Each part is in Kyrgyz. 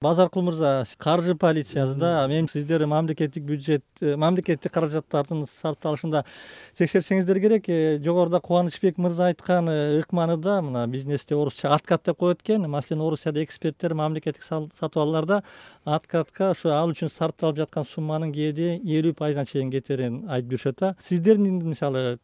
Базаркул мырза, каржы полициясында мен сиздер мамлекеттик бюджет, мамлекеттик каражаттардын сарпталышында текшерсеңиздер керек. Жогоруда Кубанычбек мырза айткан ыкманында мына бизнесте орусча откат деп коет экен. Маселен, Орусияда эксперттер мамлекеттик сатып алууларда откатка ошо ал үчүн сарпталып жаткан сумманын кээде 50% чейин кетерин айтып жүрүшөт. Сиздердин мисалы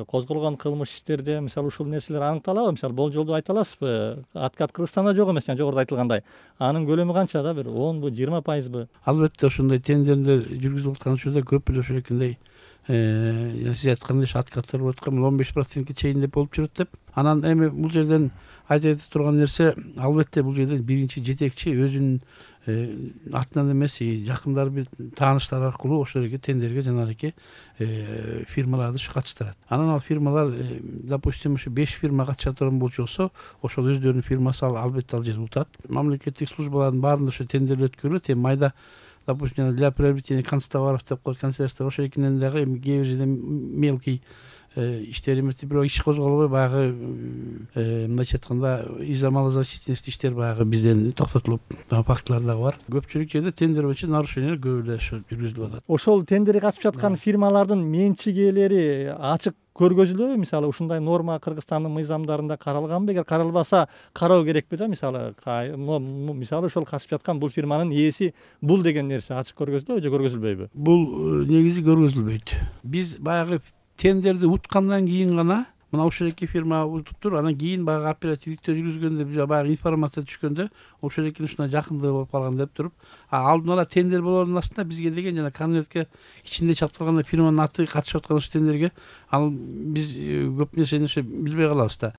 козголгон кылмыш иштерде мисалы ушул нерселер аныкталабы? Мисалы болжолдуу айта аласызбы? Откат Кыргызстанда жок эмес, жогоруда айтылгандай. Анын көлөмү канча да, бир 10бу, 20%бы? Албетте ошондой тендерлер жүргүзүлүп аткан учурда көп эле ошондой сиз айткандай откаттар болуп аткан 15%ке чейин деп болуп жүрөт деп. Анан эми бул жерден айта турган нерсе, албетте бул жерден биринчи жетекчи өзүнүн атынан эмес, жакындары бир тааныштар аркылуу ошол эле тендерге жанагы фирмаларды катыштырат. Анан ал фирмалар, допустим, ушу 5 фирма катыша турган болчу болсо, ошол өздөрүнүн фирмасы албетте ал жерде утат. Мамлекеттик службалардын баарында ошо тендер өткөрүлөт. Майда, допустим, для приобретения канцтоваров деп коет, канцелярство ошол экинен дагы кээ бир жерде мелкий иштер эмес, бирок иш козголбой баягы мындайча айтканда изомалозащитность иштер баягы бизден токтотулуп фактылар дагы бар. Көпчүлүк жерде тендер боюнча нарушениялар көп эле жүргүзүлүп атат. Ошол тендерге катышып жаткан фирмалардын менчигелери ачык көргөзүлөбү? Мисалы ушундай норма Кыргызстандын мыйзамдарында каралганбы? Эгер каралбаса, кароо керекпи да? Мисалы ошол катышып жаткан бул фирманын ээси бул деген нерсе ачык көргөзүлөбү же көргөзүлбөйбү? Бул негизи көргөзүлбөйт. Биз баягы тендерди уткандан кийин гана мына ушул эки фирма утуптур, анан кийин баягы оперативдикте жүргүзгөндө баягы информация түшкөндө ошол экинин ушундай жакындыгы болуп калган деп туруп, алдын ала тендер болоордун астында бизге деген жана конвертке ичинде чапталган фирманын аты катышып аткан ошол тендерге, ал биз көп нерсени билбей калабыз да.